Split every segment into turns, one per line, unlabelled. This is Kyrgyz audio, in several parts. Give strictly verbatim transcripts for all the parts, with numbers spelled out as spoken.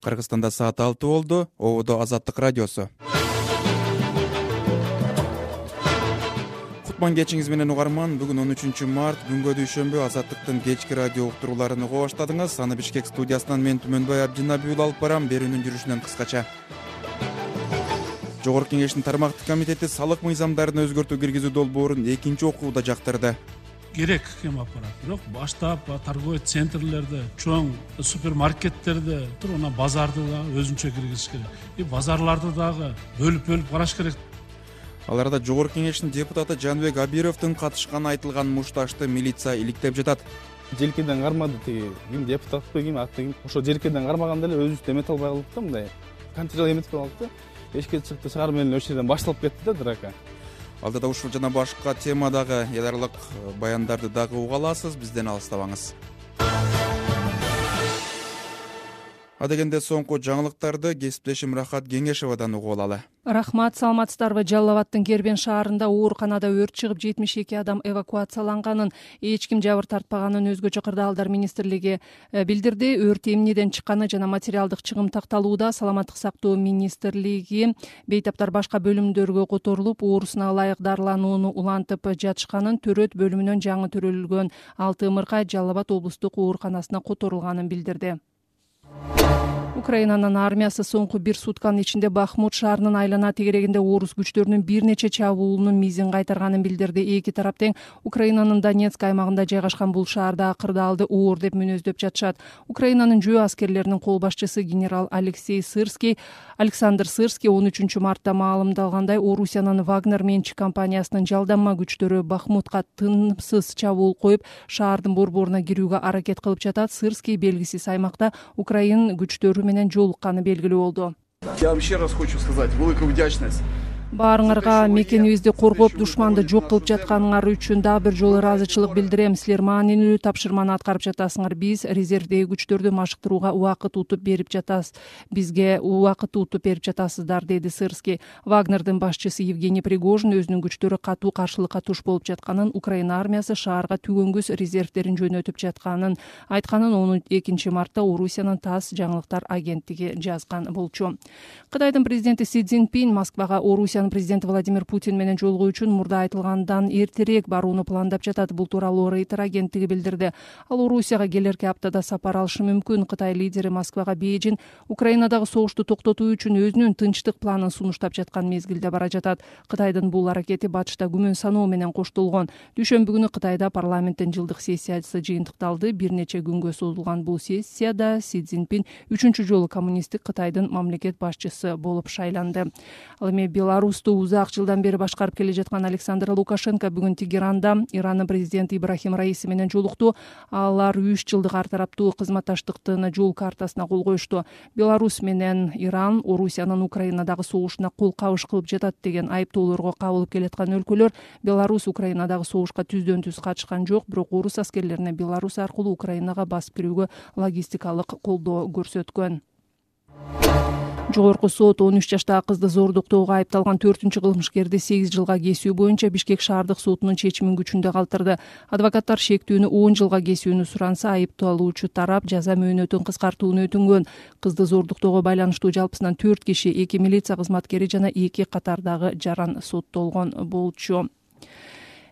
Кыргызстанда саат алты болду. Ободо Азаттык радиосу. Кутман кечиңиз менен угарман. Бүгүн он үчүнчү март, күнгө дүйшөмбү. Азаттыктын кечки радио уктурууларын уга баштадыңыз. Аны Бишкек студиясынан мен Түмөнбай Абдинабиул алып барам. Берүүнүн жүрүшүнөн кыскача. Жогорку Кеңештин тармактык комитети салык мыйзамдарын өзгөртүү киргизүү долбоорун экинчи окууда жактырды.
Керек кем аппарат, бирок баштап торговый центрлерде, чоң супермаркеттерде туруна базарды да өзүнчө киргизиш керек. И базарларды дагы бөлүп-бөлүп караш керек.
Ал арада Жогорку Кеңештин депутаты Жанбек Абировдун катышканы айтылган мушташты милиция иликтеп жатат.
Желкеден кармады тиги, ким депутатпы, ким атты ким. Ошо желкеден кармаганда эле өзүбүз эмете албай калдык да, мындай. Контрол эметип калдык да. Эшикке чыкты, чыгарым менен ошол жерден башталып кетти да драка.
Алдыда ушул жана башка темадагы эл аралык баяндарды дагы уга аласыз, бизден алыстабаңыз. Адегенде соңку жаңылыктарды кесиптешим Рахат Кеңешевадан угуп алалы.
Рахмат, саламатсыздарбы? Жалал Абадтын Кербен шаарында ооруканада өрт чыгып, жетимиш эки адам эвакуацияланганын, эч ким жабыр тартпаганын өзгөчө кырдаалдар министрлиги билдирди. Өрт эмнеден чыкканы жана материалдык чыгым такталууда. Саламаттык сактоо министрлиги бейтаптар башка бөлүмдөргө которулуп, оорусуна ылайык дарыланууну улантып жатышканын, төрөт бөлүмүнөн жаңы төрөлгөн алты ымыркай Жалал Абад облустук ооруканасына которулганын билдирди. Украинанын армиясы соңку бир сутканын ичинде Бахмут шаарынын айлана тегерегинде орус күчтөрүнүн бир нече чабуулунун мизин кайтарганын билдирди. Эки тарап тең Украинанын Донецк аймагында жайгашкан бул шаарда кырдаалды оор деп мүнөздөп жатышат. Украинанын жөө аскерлеринин кол башчысы генерал Алексей Сырский, Александр Сырский он үчүнчү мартта маалымдалгандай, Орусиянын Вагнер менчик компаниясынын жалданма күчтөрү Бахмутка тынымсыз чабуул коюп, шаардын борборуна кирүүгө аракет кылып жатат. Сырский белгисиз аймакта Украин күчтөрү менен жолукканы белгилүү болду.
Я вам еще раз хочу сказать великую вдячность.
Баарыңарга мекенибизди коргоп, душманды жок кылып жатканыңар үчүн дагы бир жолу ыраазычылык билдирем. Силер маанилүү тапшырманы аткарып жатасыңар. Биз резервдеги күчтөрдү машыктырууга убакыт утуп берип жатасыз. Бизге убакыт утуп берип жатасыздар, деди Сырский. Вагнердин башчысы Евгений Пригожин өзүнүн күчтөрү катуу каршылыкка туш болуп жатканын, Украина армиясы шаарга түгөнгүс резервдерин жөнөтүп жатканын айтканын он экинчи мартта Орусиянын ТАСС жаңылыктар агенттиги жазган болчу. Кытайдын президенти Си Цзиньпин Москвага Орусия президенти Владимир Путин менен жолугуу үчүн мурда айтылгандан эртерээк барууну пландап жатат. Бул тууралуу Рейтер агенттиги билдирди. Ал Орусияга келерки аптада сапар алышы мүмкүн. Кытай лидери Москвага Бейжин Украинадагы согушту токтотуу үчүн өзүнүн тынчтык планын сунуштап жаткан мезгилде бара жатат. Кытайдын бул аракети батышта күмөн саноо менен коштолгон. Дүйшөмбү күнү Кытайда парламенттин жылдык сессиясы жыйынтыкталды. Бир нече күнгө созулган бул сессияда Си Цзиньпин үчүнчү жолу коммунисттик Кытайдын мамлекет башчысы болуп шайланды. Ал эми Беларусь узак жылдан бери башкарып келе жаткан Александр Лукашенко бүгүн Тегеранда Ирандын президенти Ибрахим Раиси менен жолукту. Алар үч жылдык ар тараптуу кызматташтыктын жол картасына кол коюшту. Беларусь менен Иран Орусиянын Украинадагы согушуна кол кабыш кылып жатат деген айыптоолорго кабылып келаткан өлкөлөр. Беларусь Украинадагы согушка түздөн түз катышкан жок, бирок орус аскерлерине Беларусь аркылуу Украинага басып кирүүгө логистикалык колдоо көрсөткөн. Жогорку сот он үч жаштагы кызды зордуктоого айыпталган төртүнчү кылмышкерди сегиз жылга кесүү боюнча Бишкек шаардык сотунун чечимин күчүндө калтырды. Адвокаттар шектүүнү он жылга кесүүнү суранса, айыпталуучу тарап жаза мөөнөтүн кыскартууну өтүнгөн. Кызды зордуктоого байланыштуу жалпысынан төрт киши, эки милиция кызматкери жана эки катардагы жаран соттолгон болчу.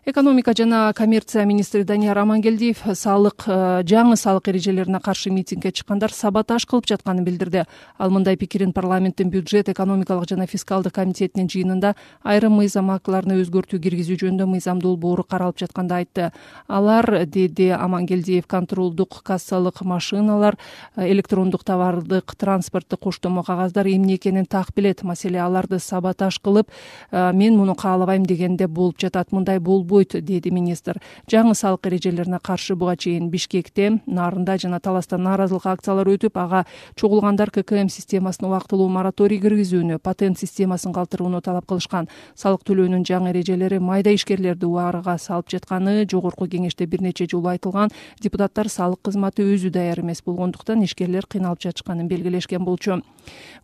Экономика жана коммерция министри Данияр Амангелдиев салык жаңы салык эрежелерине каршы митингге чыккандар саботаж кылып жатканын билдирди. Ал мындай пикирин парламенттин бюджет, экономикалык жана фискалдык комитетинин жыйынында айрым мыйзам актыларына өзгөртүү киргизүү жөнүндө мыйзам долбоору каралып жатканда айтты. Алар, деди Амангелдиев, контролдук кассалык машиналар, электрондук товардык транспорттук коштомо кагаздар эмне экенин так билет. Маселе аларды саботаж кылып, мен муну каалабайм дегенде болуп жатат. Мындай болбойт, деди министр. Жаңы салык эрежелерине каршы буга чейин Бишкекте, Нарында жана Таласта нааразылык акциялары өтүп, ага чогулгандар К К М системасына убактылуу мораторий киргизүүнү, патент системасын калтырууну талап кылышкан. Салык төлөөнүн жаңы эрежелери майда ишкерлерди убарга салып жатканы Жогорку Кеңеште бир нече жолу айтылган. Депутаттар салык кызматы өзү даяр эмес болгондуктан ишкерлер кыйналып жатышканын белгилешкен болчу.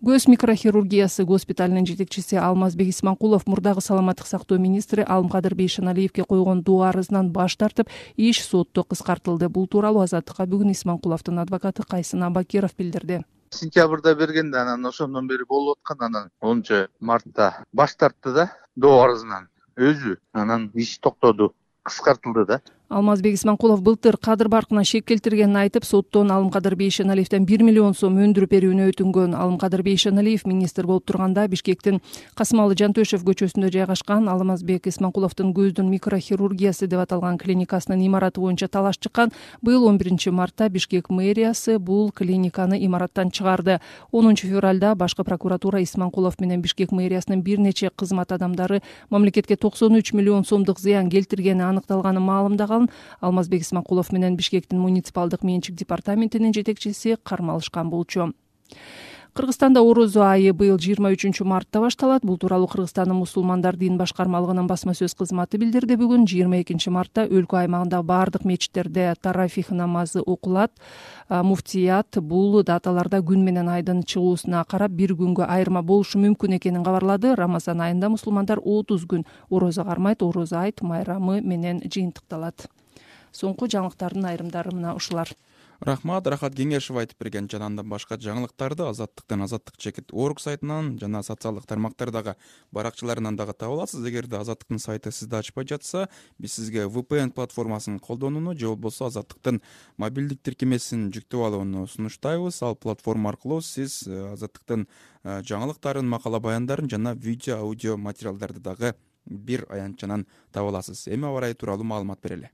Көз микрохирургиясы госпиталынын жетекчиси Алмазбек Исманкулов мурдагы саламаттык сактоо министри Алымкадыр Бейшеналиевге койгон доо арызынан баш тартып, иш сотто кыскартылды. Бул тууралуу Азаттыкка бүгүн Исманкуловдун адвокаты Кайсын Абакиров билдирди.
Сентябрда бергенде анан ошондон бери болуп аткан, анан онунчу мартта баш тартты да доо арызынан өзү, анан иш токтоду, кыскартылды да.
Алмазбек Исманкулов былтыр кадыр баркына шек келтиргенин айтып, соттон Алымкадыр Бейшеналиевден бир миллион сом өндүрүп берүүнү өтүнгөн. Алымкадыр Бейшеналиев министр болуп турганда Бишкектин Касымалы Жантөшев көчөсүндө жайгашкан Алмазбек Исманкуловдун көздүн микрохирургиясы деп аталган клиникасынын имараты боюнча талаш чыккан. Быйыл он биринчи мартта Бишкек мэриясы бул клиниканы имараттан чыгарды. онунчу февралда башкы прокуратура Исманкулов менен Бишкек мэриясынын бир нече кызмат адамдары мамлекетке токсон үч миллион сомдук зыян келтиргени аныкталганын маалымдаган. Алмазбек Исманкулов менен Бишкектин муниципалдык менчик департаментинин жетекчиси кармалышкан болчу. Кыргызстанда орозо айы быйыл жыйырма үчүнчү мартта башталат. Бул тууралуу Кыргызстандын мусулмандар дин башкармалыгынын басма сөз кызматы билдирди. Бүгүн жыйырма экинчи мартта өлкө аймагындагы бардык мечиттерде тарафих намазы окулат. Муфтият бул даталарда күн менен айдын чыгуусуна карап бир күнгө айырма болушу мүмкүн экенин кабарлады. Рамазан айында мусулмандар отуз күн орозо кармайт. Орозо айт майрамы менен жыйынтыкталат. Соңку жаңылыктардын айрымдары мына ушулар.
Рахмат, Рахат Кеңешев айтып берген жана андан башка жаңылыктарды Азаттыктын Азаттык чекит орг сайтынан жана социалдык тармактардагы баракчаларынан дагы таба аласыз. Эгерде Азаттыктын сайты сизди ачпай жатса, биз сизге ви пи эн платформасын колдонууну же болбосо Азаттыктын мобилдик тиркемесин жүктөп алууну сунуштайбыз. Ал платформа аркылуу сиз Азаттыктын жаңылыктарын, макала баяндарын жана видео, аудио материалдарды дагы бир аянтчанан таба аласыз. Эми аба ырайы тууралуу маалымат берели.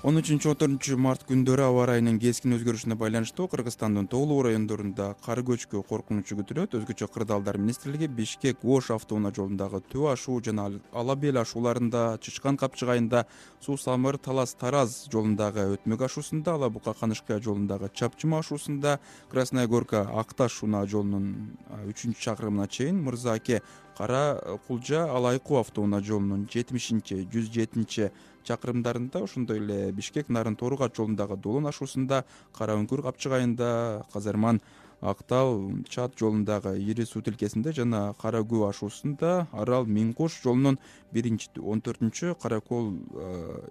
он үчүнчү он төртүнчү март күндөрү аба ырайынын кескин өзгөрүшүнө байланыштуу Кыргызстандын тоолуу райондорунда кар көчкү коркунучу күтүлөт. Өзгөчө Кырдаалдар министрлиги Бишкек Ош автоунаа жолундагы Төө ашуу жана Ала Бел ашууларында, Чычкан Капчыгайында, Суу Самыр Талас Тараз жолундагы Өтмөк ашуусунда, Ала Бука Канышкая жолундагы Чапчыма ашуусунда, Красная Горка Акташ унаа жолунун үчүнчү чакырымына чейин, Мырза Аке Кара Кулжа Алайкуу автоунаа жолунун жетимишинчи жүз жетинчи чакырымдарында, ошондой эле Бишкек Нарын Торуугат жолундагы Долон ашуусунда, Кара Үңкүр Капчыгайында, Казарман Актал Чат жолундагы Ири суу тилкесинде жана Кара Күү ашуусунда, Арал Миңкош жолунун биринчи он төртүнчү, Каракол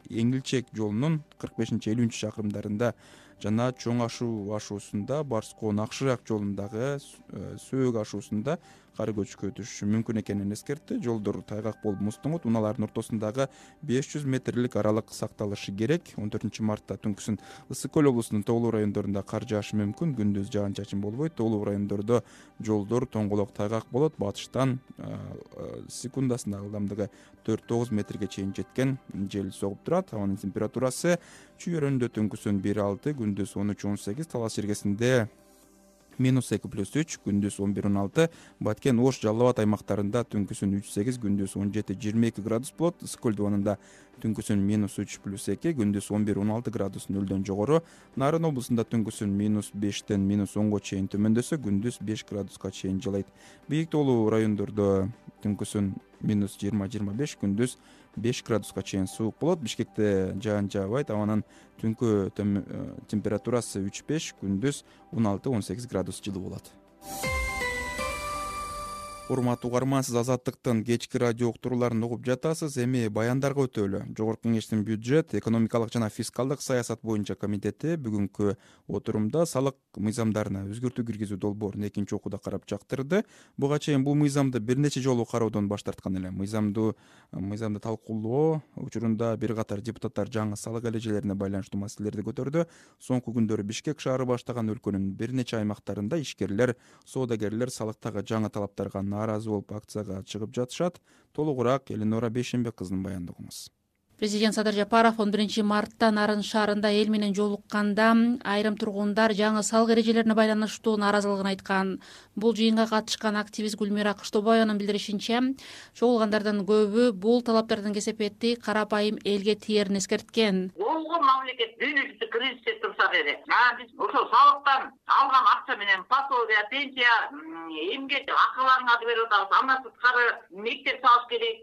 Эңилчек жолунун кырк бешинчи элүүнчү чакырымдарында жана Чоң ашуу ашуусунда, Барскоо Накшырак жолундагы Сөөк ашуусунда кар көчкү өтүшү мүмкүн экенин эскертти. Жолдор тайгак болуп муздуңут, унаалардын ортосундагы беш жүз метрлик аралык сакталышы керек. он төртүнчү мартта түнкүсүн Ысык Көл облусунун тоолуу райондорунда кар жаашы мүмкүн. Күндүз жаан-чачын болбойт. Тоолуу райондордо жолдор тоңголок тайгак болот. Батыштан секундасына ылдамдыгы төрт тогуз метрге чейин жеткен жел согуп турат. Абанын температурасы чүйөрөндө түнкүсүн бир алты, күндүз он үч он сегиз, Талас жергесинде минус эки плюс үч, күндүз он бир он алты, Баткен Ош Жалал Абад аймактарында түнкүсүн үч сегиз, күндүз он жети жыйырма эки градус болот. Ысык Көл дубанында түнкүсүн минус үч плюс эки, күндүз он бир он алты градус нөлдөн жогору. Нарын облусунда түнкүсүн минус бештен минус онго чейин төмөндөсө, күндүз беш градуска чейин жылайт. Бийик тоолуу райондордо түнкүсүн минус жыйырма жыйырма беш, күндүз беш градуска чейин суук болот. Бишкекте жаан жаабайт. Абанын түнкү температурасы үч беш, күндүз он алты он сегиз градус жылы болот. Урматтуу угарман, сиз Азаттыктын кечки радио уктурууларын угуп жатасыз. Эми баяндарга өтөлү. Жогорку Кеңештин бюджет, экономикалык жана фискалдык саясат боюнча комитети бүгүнкү отурумда салык мыйзамдарына өзгөртүү киргизүү долбоорун экинчи окууда карап жактырды. Буга чейин бул мыйзамды бир нече жолу кароодон баш тарткан эле. Мыйзамды мыйзамды талкуулоо учурунда бир катар депутаттар жаңы салык эрежелерине байланыштуу маселелерди көтөрдү. Соңку күндөрү Бишкек шаары баштаган өлкөнүн бир нече аймактарында ишкерлер, соодагерлер салыктагы жаңы талаптарга нааразы болуп акцияга чыгып жатышат. Толугураак Элинора Бейшенбек кызынын баяндыгыңыз.
Президент Садыр Жапаров он биринчи мартта Нарын шаарында эл менен жолукканда айрым тургундар жаңы салык эрежелерине байланыштуу нааразылыгын айткан. Бул жыйынга катышкан активист Гүлмира Кыштобаеванын билдиришинче, чогулгандардын көбү бул талаптардын кесепети карапайым элге тиерин эскерткен.
Болгон мамлекет дүйнөлүк кризисте турса керек. Биз ошол салыктан алган акча менен пособие, пенсия, эмгек акыларыңарды берип атабыз. Андан сырткары мектеп салыш керек,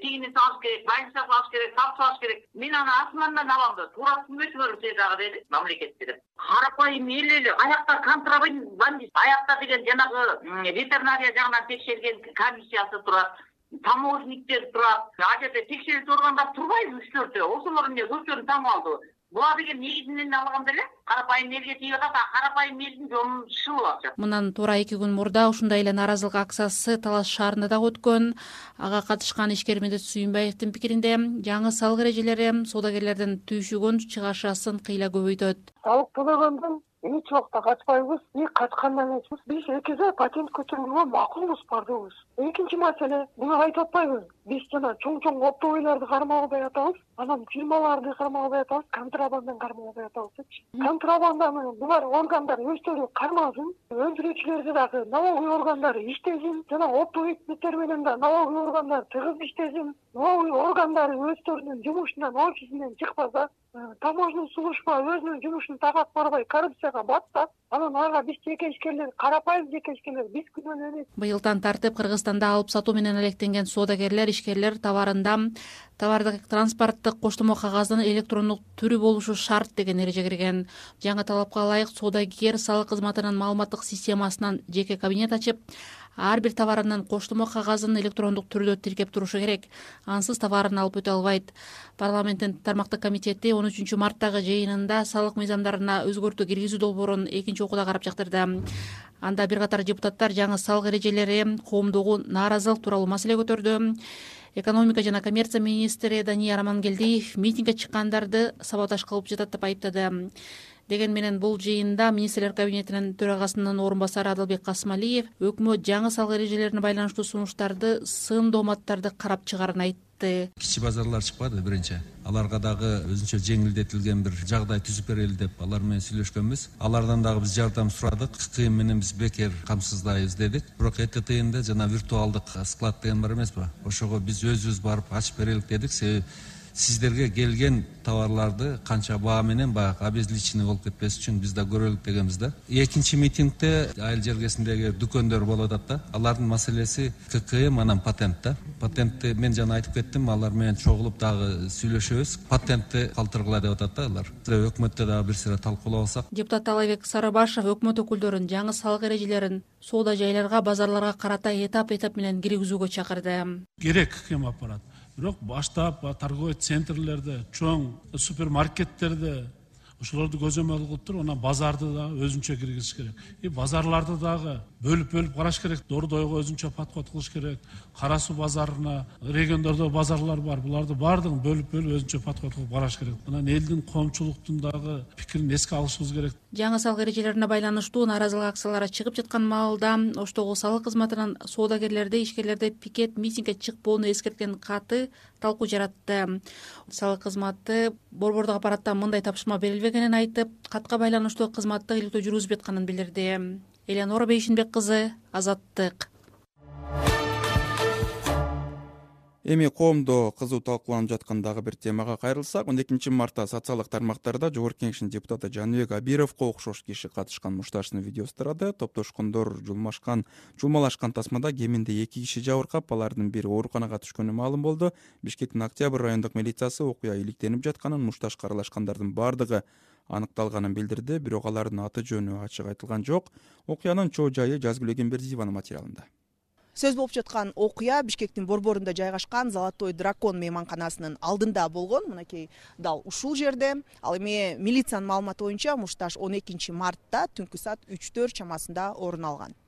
тигини салыш керек, больница салыш керек, салыш керек. Мен аны асмандан алам да, туура түзмөчүлөр дагы деди мамлекет деп. Карапайым эл эле аякта контрабандист, аякта деген жанагы ветеринария жагынан текшерген комиссиясы турат. Таможниктер турат. А жерде текшерүүчү органдар турбайбы үч төртөө? Ошолор эмне көпчөлүк таң калды. буга деген негизинен алганда эле карапайым элге тийип атат, карапайым элдин жолун шылып атышат.
Мындан туура эки күн мурда ушундай эле нааразылык акциясы Талас шаарында дагы өткөн. Ага катышкан ишкер Медет Сүйүнбаевдин пикиринде жаңы салык эрежелери соодагерлердин түйшүгүн чыгашасын кыйла көбөйтөт.
Салык төлөгөндөн эч убакта качпайбыз, и качкандан эмеспиз. Биз экиге патент көчүрүүгө макулбуз, бардыгыбыз. Экинчи маселе, буну айтып атпайбыз. Биз жана чоң-чоң оптовыйларды кармалбай атабыз, анан фирмаларды кармалбай атабыз, контрабанданы кармалбай атабыз. Контрабанданы булар органдар өздөрү кармасын, өндүрүүчүлөрдү дагы налоговый органдар иштесин, жана оптовый беттер менен да налоговый органдар тыгыз иштесин. Налоговый органдар өздөрүнүн жумушунан, офисинен чыкпаса, таможенный служба өзүнүн жумушун тагат барбай коррупцияга батса, анан ага биз жеке ишкерлер, карапайым жеке ишкерлер биз күнөөнө.
Быйылдан тартып Кыргызстанда алып сатуу менен алектенген соодагерлер, ишкерлер товарында товардык транспорттук коштомо кагаздын электрондук түрү болушу шарт деген эреже кирген. Жаңы талапка ылайык соодагер салык кызматынын маалыматтык системасынан жеке кабинет ачып, ар бир товарынын коштомо кагазын электрондук түрдө тиркеп турушу керек. Ансыз товарын алып өтө албайт. Парламенттин тармактык комитети он үчүнчү марттагы жыйынында салык мыйзамдарына өзгөртүү киргизүү долбоорун экинчи окууда карап чыктырды. Анда бир катар депутаттар жаңы салык эрежелери коомдогу нааразылык тууралуу маселе көтөрдү. Экономика жана коммерция министри Дания Рамангелдиев митингге чыккандарды саботаж кылып жатат деп айыптады. Деген менен бул жыйында министрлер кабинетинин төрагасынын орун басары Адылбек Касымалиев өкмөт жаңы салык эрежелерине байланыштуу сунуштарды, сын дооматтарды карап чыгарын айтты.
Кичи базарлар чыкпады биринчи. Аларга дагы өзүнчө жеңилдетилген бир жагдай түзүп берели деп алар менен сүйлөшкөнбүз. Алардан дагы биз жардам сурадык. Кыйын менен биз бекер камсыздайбыз дедик. Бирок Э Т Тнде жана виртуалдык склад деген бар эмеспи? Ошого биз өзүбүз барып ачып берелик дедик. Себеби сиздерге келген товарларды канча баа менен баягы обезличенный болуп кетпес үчүн биз да көрөлүк дегенбиз да. Экинчи митингде айыл жергесиндеги дүкөндөр болуп атат да. Алардын маселеси К К М анан патент да. Патентти мен жана айтып кеттим, алар менен чогулуп дагы сүйлөшөбүз. Патентти калтыргыла деп атат да алар. Өкмөттө дагы бир сыйра талкуулабасак.
Депутат Талайбек Сарыбашев өкмөт өкүлдөрүн жаңы салык эрежелерин соода жайларга, базарларга карата этап-этап менен киргизүүгө чакырды.
Керек кем аппарат. Бирок баштап торговый центрлерде, чоң супермаркеттерде ошолорду көзөмөл кылып туруп, анан базарды да өзүнчө киргизиш керек. И базарларды дагы бөлүп-бөлүп караш керек. Дордойго өзүнчө подход кылыш керек. Кара суу базарына, региондордо базарлар бар. Буларды бардыгын бөлүп-бөлүп өзүнчө подход кылып караш керек. Анан элдин, коомчулуктун дагы пикирин эске алышыбыз керек.
Жаңы салык эрежелерине байланыштуу нааразылык акциялары чыгып жаткан маалда Оштогу салык кызматынын соодагерлерди, ишкерлерди пикет митингге чыкпоону эскерткен каты талкуу жаратты. Салык кызматы борбордук аппараттан мындай тапшырма берилбегенин айтып, катка байланыштуу кызматты иликтөө жүргүзүп жатканын билдирди. Элеонора Бейшинбек кызы, Азаттык.
Эми коомдо кызуу талкууланып жаткан дагы бир темага кайрылсак, он экинчи мартта социалдык тармактарда Жогорку Кеңештин депутаты Жаныбек Абировго окшош киши катышкан мушташынын видеосу тарады. Топтошкондор жулмашкан, жулмалашкан тасмада кеминде эки киши жабыркап, алардын бири ооруканага түшкөнү маалым болду. Бишкектин Октябрь райондук милициясы окуя иликтенип жатканын, мушташка аралашкандардын бардыгы аныкталганын билдирди, бирок алардын аты жөнү ачык айтылган жок. Окуянын чоо жайы Жазгүл Эгембердиеванын материалында.
Сөз болуп жаткан окуя Бишкектин борборунда жайгашкан Золотой дракон мейманканасынын алдында болгон. Мынакей дал ушул жерде. Ал эми милициянын маалыматы боюнча мушташ он экинчи мартта түнкү саат үч төрт чамасында орун алган.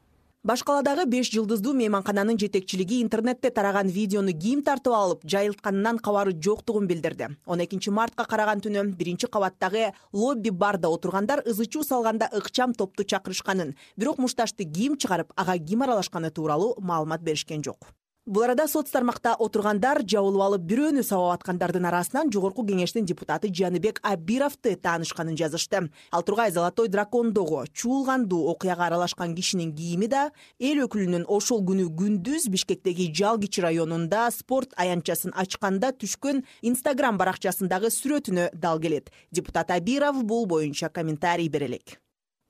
Башкаладагы беш жылдыздуу мейманкананын жетекчилиги интернетте тараган видеону ким тартып алып, жайылтканынан кабары жоктугун билдирди. он экинчи мартка караган түнү биринчи кабаттагы лобби барда отургандар ызы чуу салганда ыкчам топту чакырышканын, бирок мушташты ким чыгарып, ага ким аралашканы тууралуу маалымат беришкен жок. Бул арада соц тармакта отургандар жабылып алып бирөөнү сабап аткандардын арасынан Жогорку Кеңештин депутаты Жаныбек Абировду таанышканын жазышты. Ал тургай Золотой дракондогу чуулгандуу окуяга аралашкан кишинин кийими да эл өкүлүнүн ошол күнү күндүз Бишкектеги Жалгичи районунда спорт аянтчасын ачканда түшкөн Instagram баракчасындагы сүрөтүнө дал келет. Депутат Абиров бул боюнча комментарий бере элек.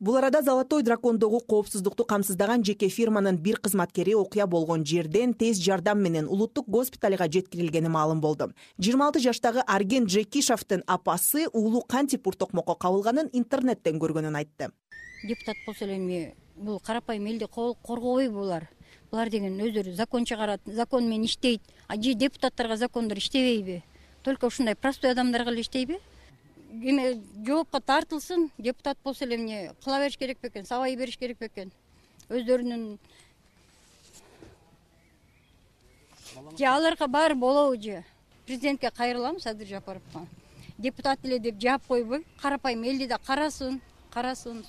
Бул арада Золотой дракондогу коопсуздукту камсыздаган жеке фирманын бир кызматкери окуя болгон жерден тез жардам менен улуттук госпиталга жеткирилгени маалым болду. жыйырма алты жаштагы Арген Джекишовдун апасы уулу кантип уртокмокко кабылганын интернеттен көргөнүн айтты.
Депутат болсо эми бул карапайым элди коргобойбу булар? Булар деген өздөрү закон чыгарат, закон менен иштейт. А же депутаттарга закондор иштебейби? Только ушундай простой адамдарга эле иштейби? эме жоопко тартылсын, депутат болсо эле эмне кыла бериш керек бекен, сабай бериш керек бекен. Өздөрүнүн же аларга баары болобу же. Президентке кайрылам, Садыр Жапаровго. Депутат эле деп жаап койбой, карапайым элди да карасын, карасын,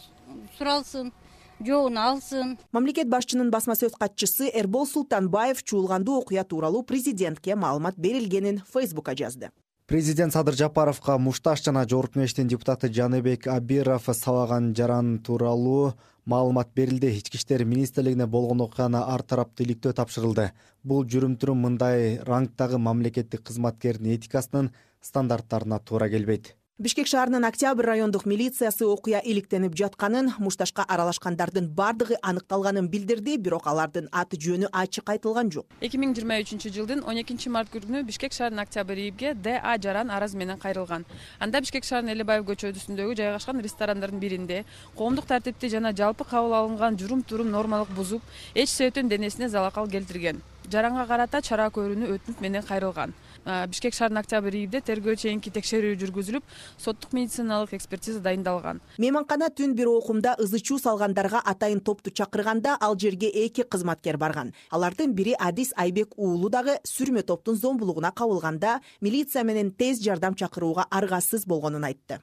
суралсын, жоогун алсын.
Мамлекет башчынын басма сөз катчысы Эрбол Султанбаев чуулгандуу окуя тууралуу президентке маалымат берилгенин Фейсбукка жазды.
Президент Садыр Жапаровго Мушташ жана Жогорку Кеңештин депутаты Жаныбек Абиров сабаган жаран тууралуу маалымат берилди. Ички иштер министрлигине болгон окуяны ар тараптуу иликтөө тапшырылды. Бул жүрүм-турум мындай рангдагы мамлекеттик кызматкердин этикасынын стандарттарына туура келбейт. Бишкек шаарынын Октябрь райондук милициясы окуя иликтенип жатканын, мушташка аралашкандардын бардыгы аныкталганын билдирди, бирок алардын аты жөнү ачык айтылган жок.
эки миң жыйырма үчүнчү жылдын он экинчи март күнү Бишкек шаарынын Октябрь ИИБге Д А жаран арыз менен кайрылган. Анда Бишкек шаарынын Элебаев көчөсүндөгү жайгашкан ресторандардын биринде коомдук тартипти жана жалпы кабыл алынган журум-турум нормалык бузуп, эч себептен денесине залакал келтирген. Жаранга карата чара көрүүнү өтүнүп менен кайрылган. Бишкек шаарынын Октябрь ИИБде тергөө чейинки текшерүү жүргүзүлүп, соттук медициналык экспертиза дайындалган.
Мейманкана түн бир окумда ызы чуу салгандарга атайын топту чакырганда ал жерге эки кызматкер барган. Алардын бири Адис Айбек уулу дагы сүрмө топтун зомбулугуна кабылганда милиция менен тез жардам чакырууга аргасыз болгонун айтты.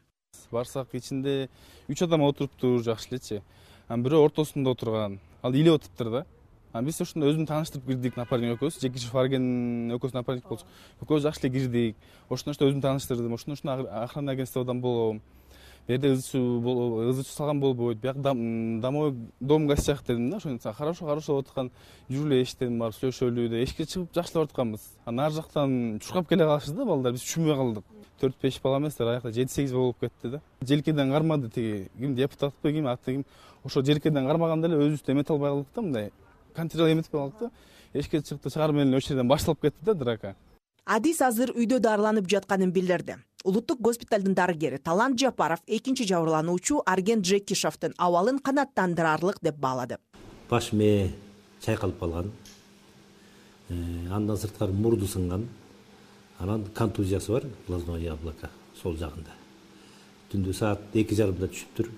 Барсак ичинде үч адам отуруптур, жакшы элечи. Бирөө ортосунда отурган. Ал илеп отуптур да. Биз ошондо өзүм тааныштырып кирдик, напарник экөөбүз, Жекишев Арген экөөбүз напарник болчу. Экөөбүз жакшы эле кирдик. Ошондо өзүм тааныштырдым. Ошондо охрана агентстводан болом. Берде ызы чуу ызы чуу салган болбойт. Бияк домой дом гостях дедим да, ошондо хорошо, хорошо болуп аткан. Жүрүлө эшиктен барып сүйлөшөлү деп эшикке чыгып жакшылап атканбыз. Анан ар жактан чуркап келе калышты да балдар, биз түшүнбөй калдык. төрт беш бала эмес, аякта жети сегиз болуп кетти да. Желкеден кармады тиги, ким депутатпы, ким аты ким. Ошо желкеден кармаганда эле өзүбүздү эмете албай калдык да, мындай контроль эметип калдык да. Эшикке чыкты, чыгарып менен ошол жерден башталып кетти да драка.
Адис азыр үйдө дарыланып жатканын билдирди. Улуттук госпиталдын дарыгери Талант Жапаров экинчи жабырлануучу Арген Джекишевдин абалын канааттандырарлык деп баалады.
Баш мээ чайкалып калган. Андан сырткары мурду сынган. Анан контузиясы бар, глазное яблоко сол жагында. Түндө саат эки жарымда түшүптүр.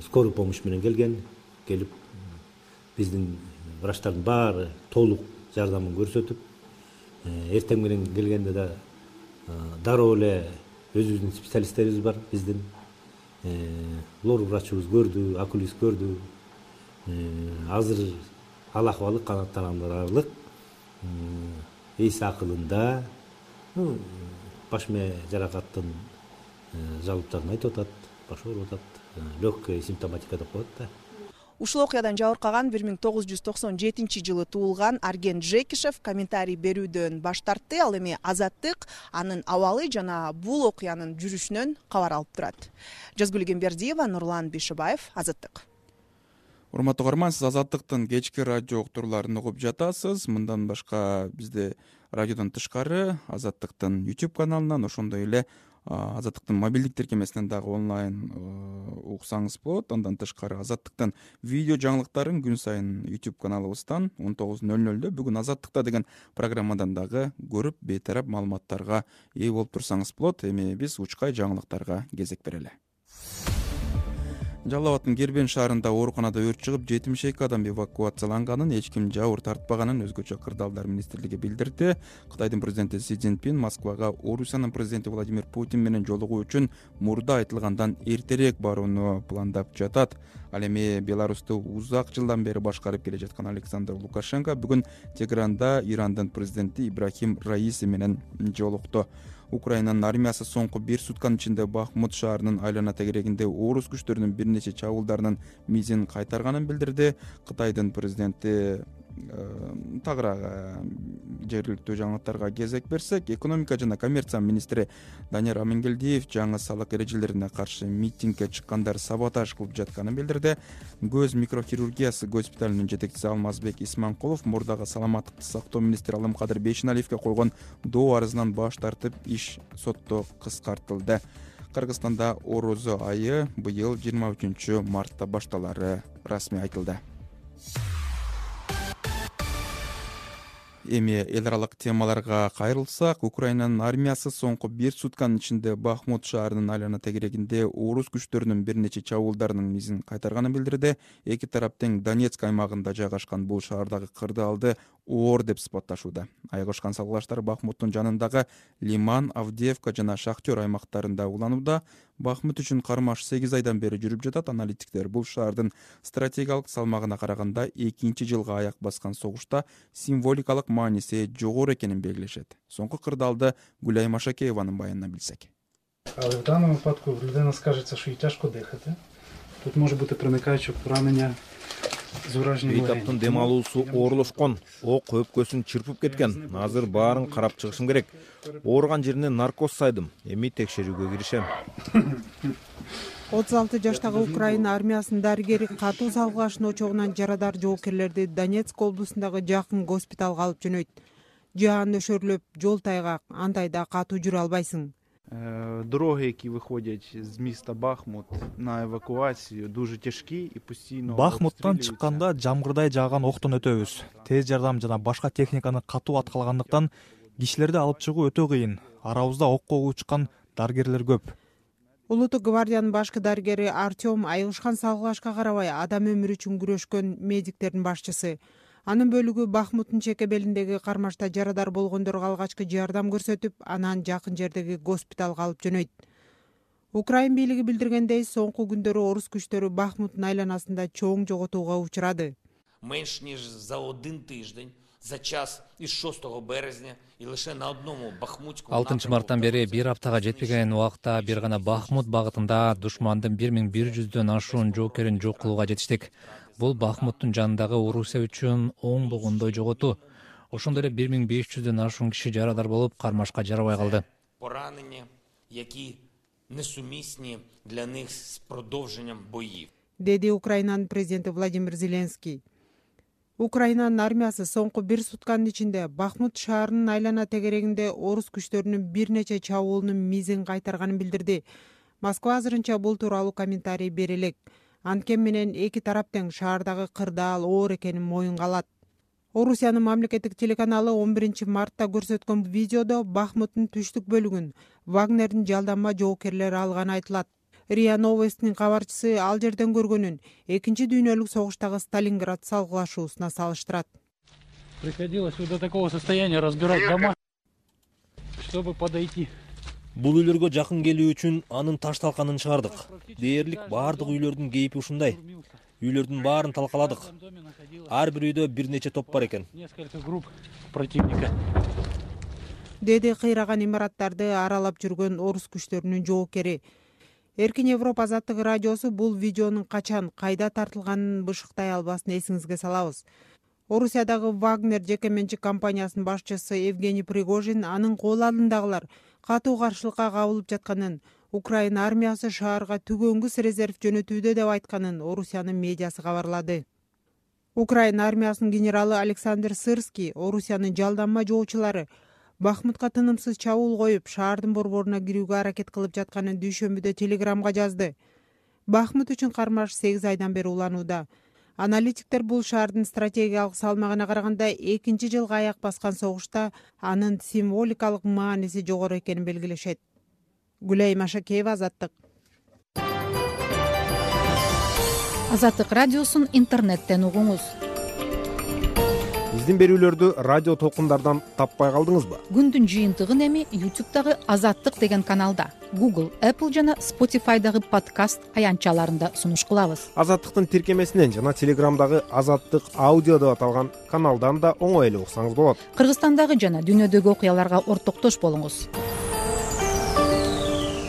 Скорый помощь менен келген, келип биздин врачтардын баары толук жардамын көрсөтүп, эртең менен келгенде да дароо эле өзүбүздүн специалисттерибиз бар, биздин лор врачыбыз көрдү, окулист көрдү. Азыр ал акыбалы канааттанарлык, эс акылында, баш мээ жаракаттын жалыптарын айтып атат, баш ооруп атат, легкая симптоматика деп коет да.
Ушул окуядан жабыркаган бир миң тогуз жүз токсон жетинчи жылы туулган Арген Джекишев комментарий берүүдөн баш тартты. Ал эми Азаттык анын абалы жана бул окуянын жүрүшүнөн кабар алып турат. Жазгүл Гембердиева, Нурлан Бишибаев, Азаттык.
Урматтуу көрөрман, сиз Азаттыктын кечки радио уктурууларын угуп жатасыз. Мындан башка бизде радиодон тышкары Азаттыктын YouTube каналынан, ошондой эле Азаттыктын мобилдик тиркемесинен дагы онлайн уксаңыз болот. Андан тышкары Азаттыктын видео жаңылыктарын күн сайын YouTube каналыбыздан он тогуз ноль нольдө бүгүн Азаттыкта деген программадан дагы көрүп, бейтарап маалыматтарга ээ болуп турсаңыз болот. Эми биз учкай жаңылыктарга кезек берели. Жалал Абадтын Кербен шаарында ооруканада өрт чыгып, жетимиш эки адам эвакуацияланганын, эч ким жабыр тартпаганын өзгөчө кырдаалдар министрлиги билдирди. Кытайдын президенти Си Цзиньпин Москвага Орусиянын президенти Владимир Путин менен жолугуу үчүн мурда айтылгандан эртерээк барууну пландап жатат. Ал эми Беларусту узак жылдан бери башкарып келе жаткан Александр Лукашенко бүгүн Тегеранда Ирандын президенти Ибрахим Раиси менен жолукту. Украинанын армиясы соңку бир сутканын ичинде Бахмут шаарынын айлана тегерегинде орус күчтөрүнүн бир нече чабуулдарынын мизин кайтарганын билдирди. Кытайдын президенти тагыраак жергиликтүү жаңылыктарга кезек берсек, экономика жана коммерция министри Данияр Амангелдиев жаңы салык эрежелерине каршы митингге чыккандар саботаж кылып жатканын билдирди. Көз микрохирургиясы госпиталынын жетекчиси Алмазбек Исманкулов мурдагы саламаттыкты сактоо министри Алымкадыр Бейшеналиевге койгон доо арызынан баш тартып, иш сотто кыскартылды. Кыргызстанда Орозо айы быйыл жыйырма үчүнчү мартта башталары расмий айтылды. Эми эл аралык темаларга кайрылсак, Украинанын армиясы соңку бир сутканын ичинде Бахмут шаарынын айлана тегерегинде орус күчтөрүнүн бир нече чабуулдарынын мизин кайтарганын билдирди. Эки тарап тең Донецк аймагында жайгашкан бул шаардагы кырдаалды оор деп сыпатташууда. Айгашкан салгылаштар Бахмуттун жанындагы Лиман, Авдеевка жана Шахтер аймактарында уланууда. Бахмут үчүн кармаш сегиз айдан бери жүрүп жатат. Аналитиктер бул шаардын стратегиялык салмагына караганда экинчи жылга аяк баскан согушта символикалык мааниси жогору экенин белгилешет. Соңку кырдаалды Гүлай Машакееванын баянынан билсек.
Але в даному випадку в людини скажеться, що їй тяжко дихати. Тут може бути проникаюче поранення з ураженням легень.
Бейтаптын дем алуусу оорлошкон, ок өпкөсүн чырпып кеткен. Азыр баарын карап чыгышым керек. Ооруган жерине наркоз сайдым. Эми текшерүүгө киришем.
отуз алты жаштагы Украина армиясынын дарыгери катуу салгылаштын очогунан жарадар жоокерлерди Донецк облусундагы жакын госпиталга алып жөнөйт. Жаан өшөрлөп, жол тайгак, андай да катуу жүрө албайсың.
Дороги, які виходять з міста Бахмут на евакуацію, дуже тяжкі і постійно
Бахмуттан чыкканда жамгырдай жааган октон өтөбүз. Тез жардам жана башка техниканы катуу аткалагандыктан кишилерди алып чыгуу өтө кыйын. Арабызда окко учкан дарыгерлер көп.
Улуттук гвардиянын башкы дарыгери Артем айгышкан салгылашка карабай адам өмүрү үчүн күрөшкөн медиктердин башчысы. Анын бөлүгү Бахмуттун чеке белиндеги кармашта жарадар болгондорго алгачкы жардам көрсөтүп, анан жакын жердеги госпиталга алып жөнөйт. Украин бийлиги билдиргендей, соңку күндөрү орус күчтөрү Бахмуттун айланасында чоң жоготууга учурады.
Менш ніж за один тиждень, за час із шостого березня і лише на одному Бахмутському
алтынчы марттан бери бир аптага жетпеген убакта бир гана Бахмут багытында душмандын бир миң бир жүздөн ашуун жоокерин жок кылууга жетиштик. Бул Бахмуттун жанындагы Орусия үчүн оңдогондой жоготуу. Ошондой эле бир миң беш жүздөн ашуун киши жарадар болуп, кармашка жарабай калды.
Поранення, які несумісні для них з продовженням боїв.
Деди Украинанын президенти Владимир Зеленский. Украинанын армиясы соңку бир сутканын ичинде Бахмут шаарынын айлана тегерегинде орус күчтөрүнүн бир нече чабуулунун мизин кайтарганын билдирди. Москва азырынча бул тууралуу комментарий бере элек. Анткени менен эки тарап тең шаардагы кырдаал оор экенин моюнга алат. Орусиянын мамлекеттик телеканалы он биринчи мартта көрсөткөн видеодо Бахмуттун түштүк бөлүгүн Вагнердин жалданма жоокерлери алганы айтылат. РИА Новостинин кабарчысы ал жерден көргөнүн экинчи дүйнөлүк согуштагы Сталинград салгылашуусуна салыштырат.
Приходилось до такого состояния разбирать дома, чтобы подойти.
Бул үйлөргө жакын келүү үчүн анын таш талканын чыгардык. Дээрлик баардык үйлөрдүн кейпи ушундай. Үйлөрдүн баарын талкаладык. Ар бир үйдө бир нече топ бар экен.
Несколько групп противника.
Деди кыйраган имараттарды аралап жүргөн орус күчтөрүнүн жоокери. Эркин Европа азаттык радиосу бул видеонун качан, кайда тартылганын бышыктай албасын эсиңизге салабыз. Орусиядагы Вагнер жеке менчик компаниясынын башчысы Евгений Пригожин анын кол алдындагылар катуу каршылыкка кабылып жатканын, Украина армиясы шаарга түгөнгүс резерв жөнөтүүдө деп айтканын Орусиянын медиасы кабарлады. Украина армиясынын генералы Александр Сырский Орусиянын жалданма жоочулары Бахмутка тынымсыз чабуул коюп, шаардын борборуна кирүүгө аракет кылып жатканын дүйшөмбүдө телеграмга жазды. Бахмут үчүн кармаш сегиз айдан бери уланууда. Аналитиктер бул шаардын стратегиялык салмагына караганда экинчи жылга аяк баскан согушта анын символикалык мааниси жогору экенин белгилешет. Гүлай Машакеева, Азаттык.
Азаттык радиосун интернеттен угуңуз.
Биздин берүүлөрдү радио толкундардан таппай калдыңызбы?
Күндүн жыйынтыгын эми YouTube'дагы Азаттык деген каналда, Google, Apple жана Spotify'дагы подкаст аянтчаларында сунуш кылабыз.
Азаттыктын тиркемесинен жана Телеграмдагы Азаттык аудио деп аталган каналдан да оңой эле уксаңыз болот.
Кыргызстандагы жана дүйнөдөгү окуяларга ортоктош болуңуз.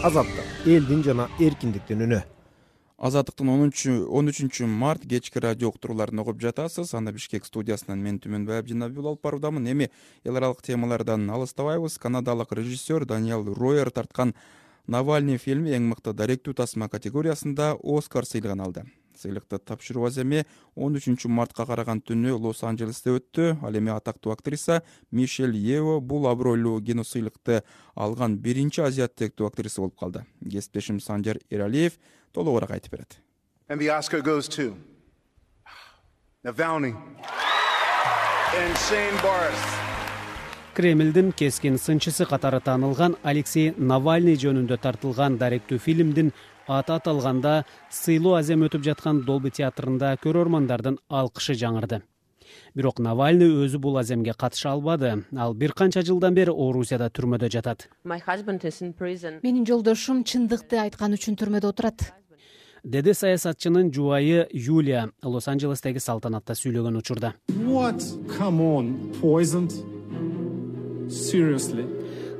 Азаттык элдин жана эркиндиктин үнү.
Азаттыктын он үчүнчү март кечки радио уктурууларын угуп жатасыз. Анда Бишкек студиясынан мен Түмөнбай Абдинабил алып баруудамын. Эми эл аралык темалардан алыстабайбыз. Канадалык режиссер Даниэл Ройер тарткан Навальный фильми эң мыкты даректүү тасма категориясында Оскар сыйлыгын алды. Сыйлыкты тапшыруу аземи он үчүнчү мартка караган түнү Лос-Анджелесте өттү. Ал эми атактуу актриса Мишель Ео бул абройлуу киносыйлыкты алган биринчи азиат тектүү актриса болуп калды. Кесиптешим Санжар Эралиев толугураак айтып берет.
And the Oscar goes to Navalny.
Кремлдин кескин сынчысы катары таанылган Алексей Навальный жөнүндө тартылган даректүү фильмдин аты аталганда сыйлуу азем өтүп жаткан Долби театрында көрөрмандардын алкышы жаңырды. Бирок Навальный өзү бул аземге катыша албады. Ал бир канча жылдан бери Орусияда түрмөдө жатат.
Менин жолдошум чындыкты айткан үчүн түрмөдө отурат,
деди саясатчынын жубайы Юлия Лос-Анджелестеги салтанатта сүйлөгөн учурда.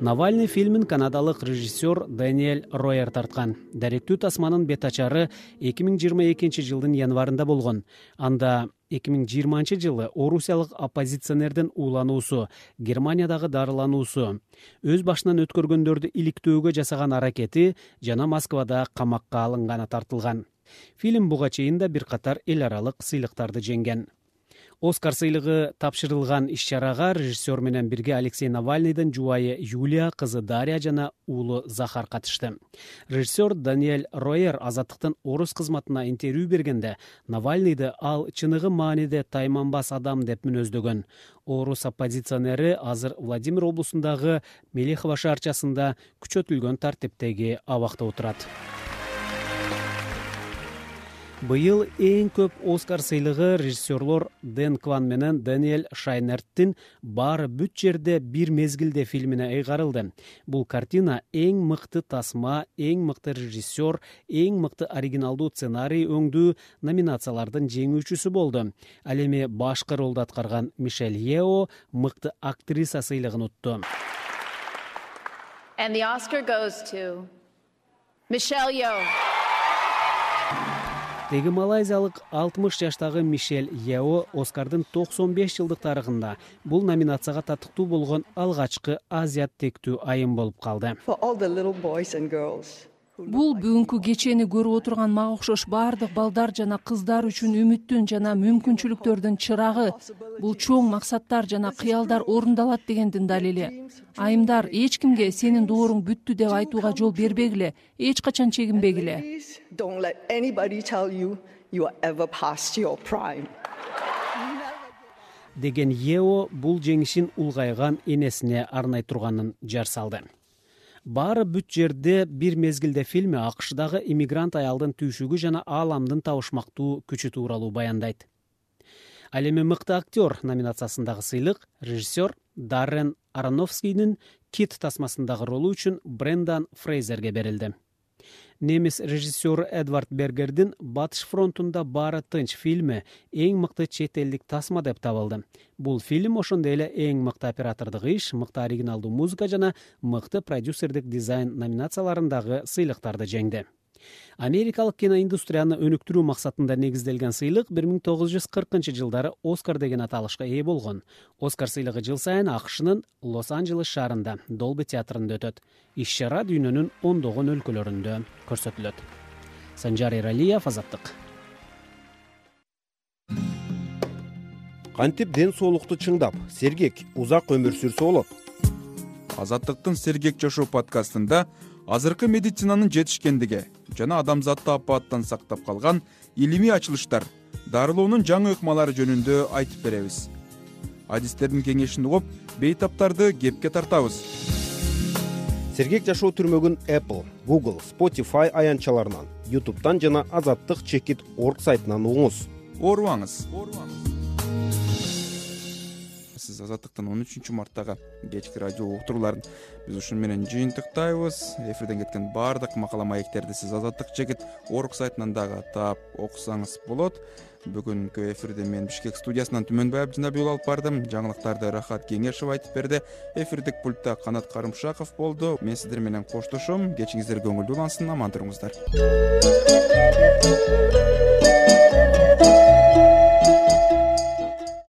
Навальный фильмин канадалык режиссер Даниэль Ройер тарткан. Даректүү тасманын бет ачары эки миң жыйырма экинчи жылдын январында болгон. Анда эки миң жыйырманчы жылы орусиялык оппозиционердин уулануусу, Германиядагы дарылануусу, өз башынан өткөргөндөрдү иликтөөгө жасаган аракети жана Москвада камакка алынганы тартылган. Фильм буга чейин да бир катар эл аралык сыйлыктарды жеңген. Оскар сыйлыгы тапшырылган иш-чарага режиссер менен бирге Алексей Навальныйдын жубайы Юлия, кызы Дарья жана уулу Захар катышты. Режиссер Даниэль Ройер Азаттыктын орус кызматына интервью бергенде Навальныйды ал чыныгы мааниде тайманбас адам деп мүнөздөгөн. Орус оппозиционери азыр Владимир облусундагы Мелехово шаарчасында күчөтүлгөн тартиптеги абакта отурат. Быйыл эң көп Оскар сыйлыгы режиссерлор Дэн Кван менен Даниэль Шайнерттин «Баары бүт жерде бир мезгилде» фильмине ыйгарылды. Бул картина эң мыкты тасма, эң мыкты режиссер, эң мыкты оригиналдуу сценарий өңдүү номинациялардын жеңүүчүсү болду. Ал эми башкы ролду аткарган Мишель Ео мыкты актриса сыйлыгын утту.
And the Oscar goes to Michelle Yeoh.
Теги малайзиялык алтымыш жаштагы Мишель Ео Оскардын токсон беш жылдык тарыхында бул номинацияга татыктуу болгон алгачкы азиат тектүү айым болуп калды.
Бул бүгүнкү кечени көрүп отурган мага окшош баардык балдар жана кыздар үчүн үмүттүн жана мүмкүнчүлүктөрдүн чырагы. Бул чоң максаттар жана кыялдар орундалат дегендин далили. Айымдар, эч кимге сенин дооруң бүттү деп айтууга жол бербегиле, эч качан чегинбегиле.
Деген Ео бул жеңишин улгайган энесине арнай турганын жар салды. Баары бүт жерде бир мезгилде фильми АКШдагы иммигрант аялдын түйшүгү жана ааламдын табышмактуу күчү тууралуу баяндайт. Ал эми мыкты актер номинациясындагы сыйлык режиссер Даррен Аронофскийдин Кит тасмасындагы ролу үчүн Брендан Фрейзерге берилди. Немис режиссеру Эдвард Бергердин «Батыш фронтунда баары тынч» фильми эң мыкты чет элдик тасма деп табылды. Бул фильм ошондой эле эң мыкты оператордук иш, мыкты оригиналдуу музыка жана мыкты продюсердик дизайн номинацияларындагы сыйлыктарды жеңди. Америкалык киноиндустрияны өнүктүрүү максатында негизделген сыйлык бир миң тогуз жүз кыркынчы жылдары Оскар деген аталышка ээ болгон. Оскар сыйлыгы жыл сайын АКШнын Лос-Анджелес шаарында Долби театрында өтөт. Иш-чара дүйнөнүн ондогон өлкөлөрүндө көрсөтүлөт. Санжар Эралиев, Азаттык.
Кантип ден соолукту чыңдап, сергек, узак өмүр сүрсө болот?
Азаттыктын Сергек жашоо подкастында азыркы медицинанын жетишкендиги жана адамзатты апааттан сактап калган илимий ачылыштар, дарылоонун жаңы ыкмалары жөнүндө айтып беребиз. Адистердин кеңешин угуп, бейтаптарды кепке тартабыз.
Сергек жашоо түрмөгүн Apple, Google, Spotify аянтчаларынан, YouTube'дан жана азаттык чекит точка орг сайтынан угуңуз.
Оорубаңыз. Сиз Азаттыктын он үчүнчү марттагы кечки радио уктурууларын биз ушун менен жыйынтыктайбыз. Эфирден кеткен баардык макала маектерди сиз азаттык чекит точка орг сайтынан дагы таап окусаңыз болот. Бүгүнкү эфирде мен Бишкек студиясынан Түмөнбай Абдинабий алып бардым. Жаңылыктарды Рахат Кеңешев айтып берди. Эфирдик пультта Канат Карымшаков болду. Мен сиздер менен коштошом. Кечиңиздер көңүлдүү улансын, аман туруңуздар.